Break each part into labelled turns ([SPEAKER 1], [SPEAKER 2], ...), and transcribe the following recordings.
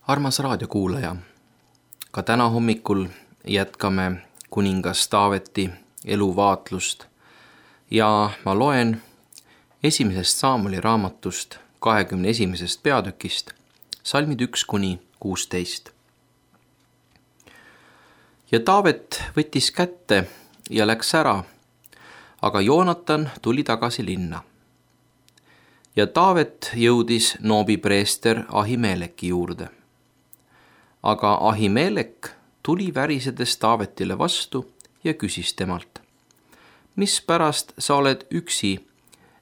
[SPEAKER 1] Armas raadiokuulaja, ka täna hommikul jätkame kuningas Taaveti eluvaatlust ja ma loen esimesest Saamuli raamatust 21. peatükist salmid 1-16. Ja Taavet võttis kätte ja läks ära, aga Joonatan tuli tagasi linna. Ja Taavet jõudis Noobi preester Ahimeleki juurde. Aga Ahimelek tuli värisedes Taavetile vastu ja küsis temalt: mispärast sa oled üksi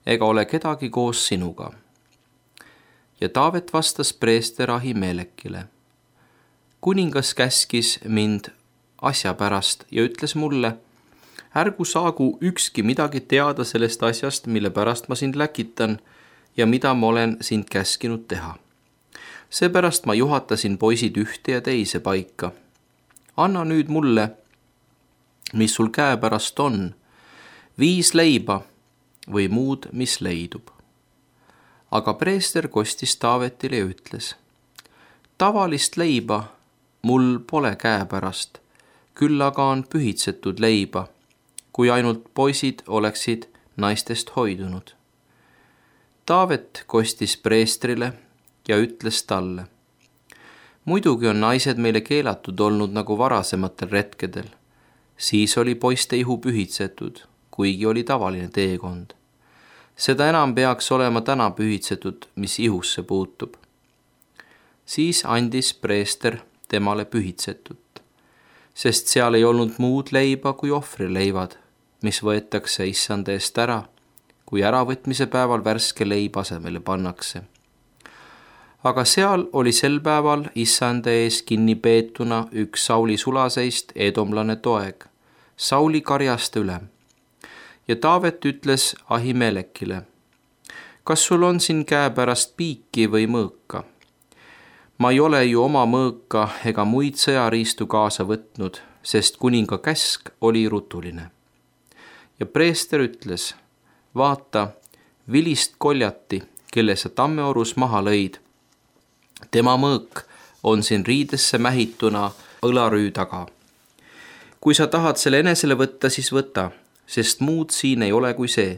[SPEAKER 1] ega ole kedagi koos sinuga? Ja Taavet vastas preester Ahimelekile: kuningas käskis mind asja pärast ja ütles mulle: ärgu saagu ükski midagi teada sellest asjast, mille pärast ma sind läkitan ja mida ma olen sind käskinud teha. Seepärast ma juhatasin poisid ühte ja teise paika. Anna nüüd mulle, mis sul käepärast on, 5 leiba või muud, mis leidub. Aga preester kostis Taavetile ja ütles: tavalist leiba mul pole käepärast, küll aga on pühitsetud leiba, kui ainult poisid oleksid naistest hoidunud. Taavet kostis preestrile ja ütles talle: muidugi on naised meile keelatud olnud nagu varasematel retkedel. Siis oli poiste ihu pühitsetud, kuigi oli tavaline teekond. Seda enam peaks olema täna pühitsetud, mis ihusse puutub. Siis andis preester temale pühitsetut, sest seal ei olnud muud leiba kui ohvrileivad, mis võetakse issanda eest ära, kui äravõtmise päeval värske leib asemele pannakse. Aga seal oli sel päeval issanda ees kinni peetuna üks Sauli sulaseist edomlane Toeg, Sauli karjaste ülem. Ja Taavet ütles Ahimelekile: kas sul on siin käepärast piiki või mõõka? Ma ei ole ju oma mõõka ega muid sõjariistu kaasa võtnud, sest kuninga käsk oli rutuline. Ja preester ütles: vaata, vilist koljati, kelle sa tammeorus maha lõid. Tema mõõk on siin riidesse mähituna õlarüü taga. Kui sa tahad selle enesele võtta, siis võta, sest muud siin ei ole kui see.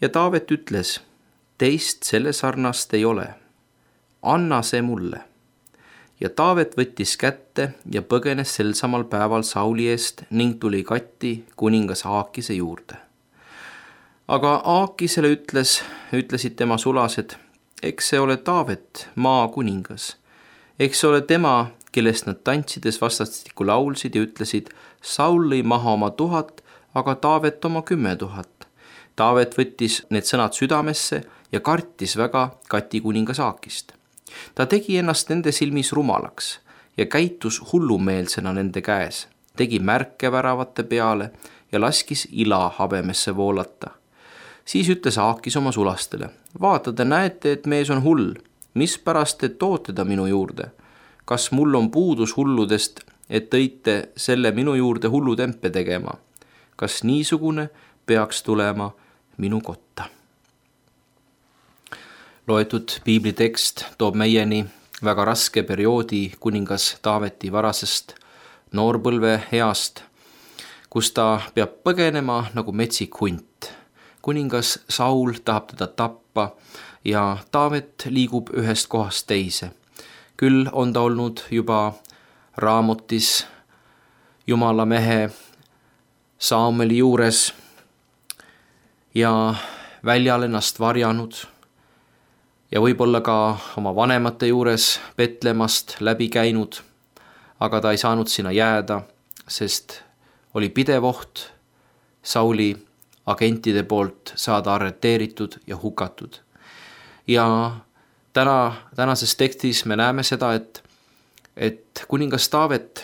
[SPEAKER 1] Ja Taavet ütles: teist selle sarnast ei ole. Anna see mulle. Ja Taavet võttis kätte ja põgenes sel samal päeval Sauli eest ning tuli Gati kuningas Aakise juurde. Aga Aakisele ütlesid tema sulased: eks see ole Taavet, maa kuningas. Eks see ole tema, kellest nad tantsides vastastikku laulsid ja ütlesid: Saul lõi maha oma 1000, aga Taavet oma 10 000. Taavet võttis need sõnad südamesse ja kartis väga Gati kuningas Aakist. Ta tegi ennast nende silmis rumalaks ja käitus hullumeelsena nende käes, tegi märke väravate peale ja laskis ila habemesse voolata. Siis ütles Aakis oma sulastele: vaata, te näete, et mees on hull. Mispärast te toote ta minu juurde? Kas mul on puudus hulludest, et tõite selle minu juurde hullutempe tegema? Kas niisugune peaks tulema minu kotta? Loetud piiblitekst toob meieni väga raske perioodi kuningas Taaveti varasest noorpõlve east, kus ta peab põgenema nagu metsik hunt. Kuningas Saul tahab teda tappa ja Taavet liigub ühest kohast teise. Küll on ta olnud juba Raamotis Jumala mehe Saameli juures ja väljal ennast varjanud ja võib-olla ka oma vanemate juures Betlemast läbi käinud, aga ta ei saanud sinna jääda, sest oli pidev oht Sauli agentide poolt saada arreteeritud ja hukatud. Ja tänases tekstis me näeme seda, et kuningas Taavet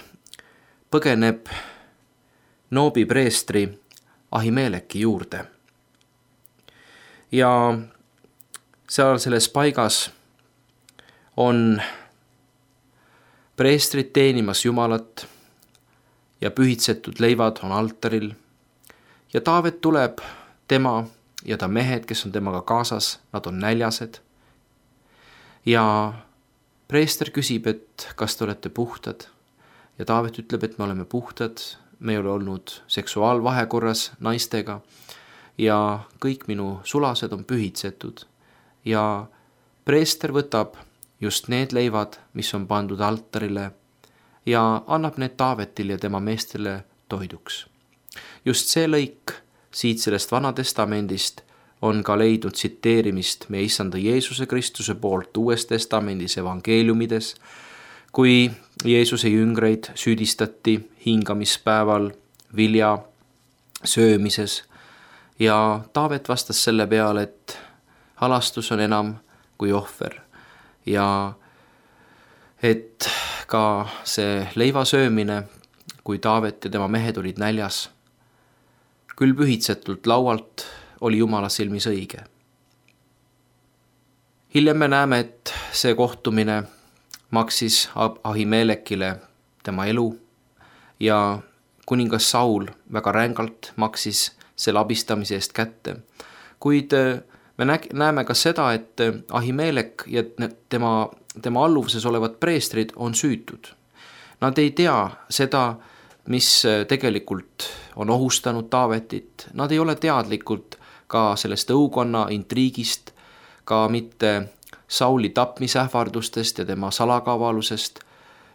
[SPEAKER 1] põgeneb Noobi preestri Ahimeleki juurde. Ja seal selles paigas on preestrid teenimas Jumalat ja pühitsetud leivad on altaril. Ja Taavet tuleb, tema ja ta mehed, kes on temaga kaasas, nad on näljased. Ja preester küsib, et kas te olete puhtad ja Taavet ütleb, et me oleme puhtad, me ei ole olnud seksuaalvahekorras naistega ja kõik minu sulased on pühitsetud. Ja preester võtab just need leivad, mis on pandud altarile ja annab need Taavetile ja tema meestele toiduks. Just see lõik siit sellest Vana Testamendist on ka leidnud tsiteerimist meie issanda Jeesuse Kristuse poolt Uues Testamendis evangeeliumides, kui Jeesuse jüngreid süüdistati hingamispäeval vilja söömises ja Taavet vastas selle peale, et halastus on enam kui ohver ja et ka see leiva söömine, kui Taavet ja tema mehed olid näljas, küll pühitsetult laualt, oli Jumala silmis õige. Hiljem me näeme, et see kohtumine maksis Ahimelekile tema elu ja kuningas Saul väga rängalt maksis selle abistamise eest kätte. Kuid me näeme ka seda, et Ahimelek ja tema alluvuses olevad preestrid on süütud. Nad ei tea seda, mis tegelikult on ohustanud Taavetit. Nad ei ole teadlikult ka sellest õukonna intriigist, ka mitte Sauli tapmisähvardustest ja tema salakavalusest.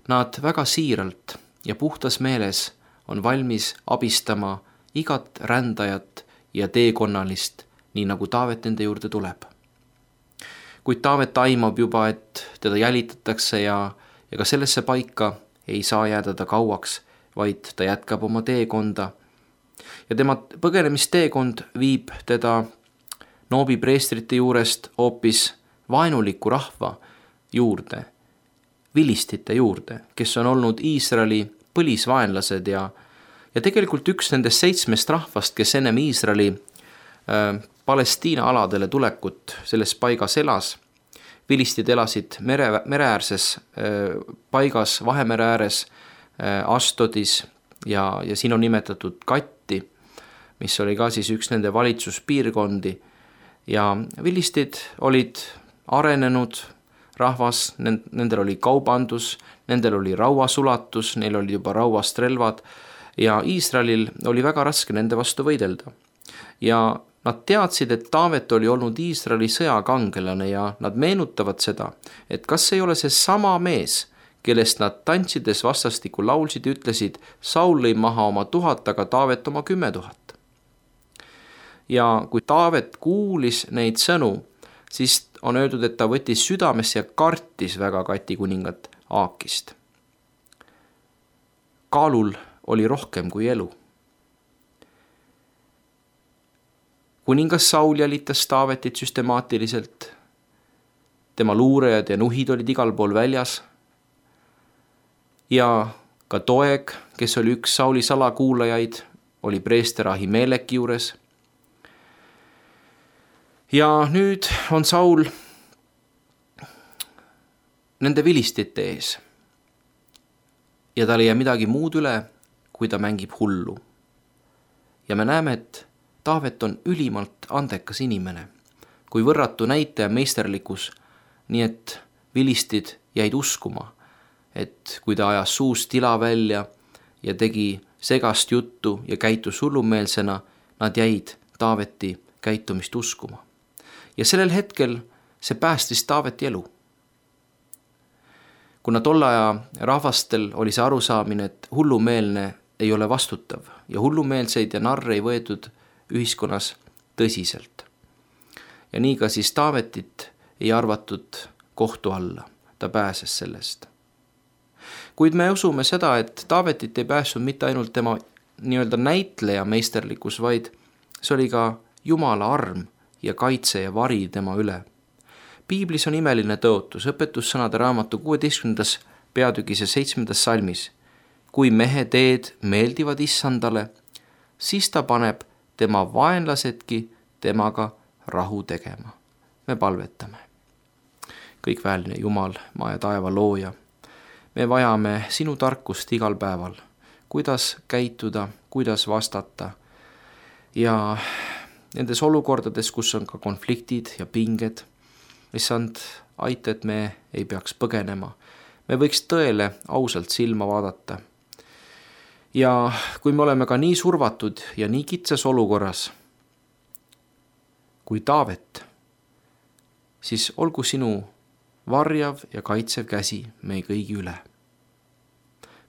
[SPEAKER 1] Nad väga siiralt ja puhtas meeles on valmis abistama igat rändajat ja teekonnalist, nii nagu Taavet nende juurde tuleb. Kuid Taavet aimab juba, et teda jälitatakse ja ka sellesse paika ei saa jääda ta kauaks, vaid ta jätkab oma teekonda. Ja tema põgenemisteekond viib teda Noobi preestrite juurest hoopis vaenuliku rahva juurde, vilistite juurde, kes on olnud Iisraeli põlisvaenlased ja tegelikult üks nendest 7 rahvast, kes ennem Iisraeli Palestiina aladele tulekut selles paigas elas. Vilistid elasid mereäärses paigas, Vahemere ääres, Astodis ja siin on nimetatud Katti, mis oli ka siis üks nende valitsuspiirkondi ja vilistid olid arenenud rahvas, nendel oli kaubandus, nendel oli rauasulatus, neil oli juba rauast relvad ja Iisraelil oli väga raske nende vastu võidelda. Ja nad teadsid, et Taavet oli olnud Iisraeli sõjakangelane ja nad meenutavad seda, et kas ei ole see sama mees, kellest nad tantsides vastastikku laulsid ja ütlesid, Saul lõi maha oma 1000, aga Taavet oma 10 000. Ja kui Taavet kuulis neid sõnu, siis on öeldud, et ta võttis südamesse ja kartis väga Kati kuningat Aakist. Kaalul oli rohkem kui elu. Kuningas Saul jälitas Taavetit süstemaatiliselt. Tema luurejad ja nuhid olid igal pool väljas. Ja ka Doeg, kes oli üks Sauli salakuulajaid, oli preester Ahimeleki juures. Ja nüüd on Saul nende vilistite ees. Ja tal ei jää midagi muud üle, kui ta mängib hullu. Ja me näeme, et Taavet on ülimalt andekas inimene, kui võrratu näitaja meisterlikkus, nii et vilistid jäid uskuma, et kui ta ajas suust tila välja ja tegi segast juttu ja käitus hullumeelsena, nad jäid Taaveti käitumist uskuma. Ja sellel hetkel see päästis Taaveti elu. Kuna tolle aja rahvastel oli see arusaamine, et hullumeelne ei ole vastutav ja hullumeelseid ja narre ei võetud ühiskonnas tõsiselt. Ja nii ka siis Taavetit ei arvatud kohtu alla, ta pääses sellest. Kuid me usume seda, et Taavetit ei pääsnud mitte ainult tema nii-öelda näitleja meisterlikkus, vaid see oli ka Jumala arm ja kaitse ja vari tema üle. Piiblis on imeline tõotus, õpetussõnade raamatu 16. peatükis ja 7. salmis. Kui mehe teed meeldivad issandale, siis ta paneb tema vaenlasedki temaga rahu tegema. Me palvetame. Kõikväeline Jumal, maa ja taeva looja. Me vajame sinu tarkust igal päeval, kuidas käituda, kuidas vastata. Ja nendes olukordades, kus on ka konfliktid ja pinged, issand, aita, et me ei peaks põgenema. Me võiks tõele ausalt silma vaadata. Ja kui me oleme ka nii survatud ja nii kitsas olukorras kui Taavet, siis olgu sinu varjav ja kaitsev käsi meie kõigi üle.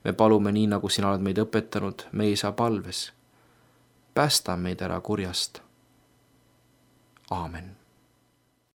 [SPEAKER 1] Me palume nii, nagu sina oled meid õpetanud, meie isa palves. Päästa meid ära kurjast. Aamen.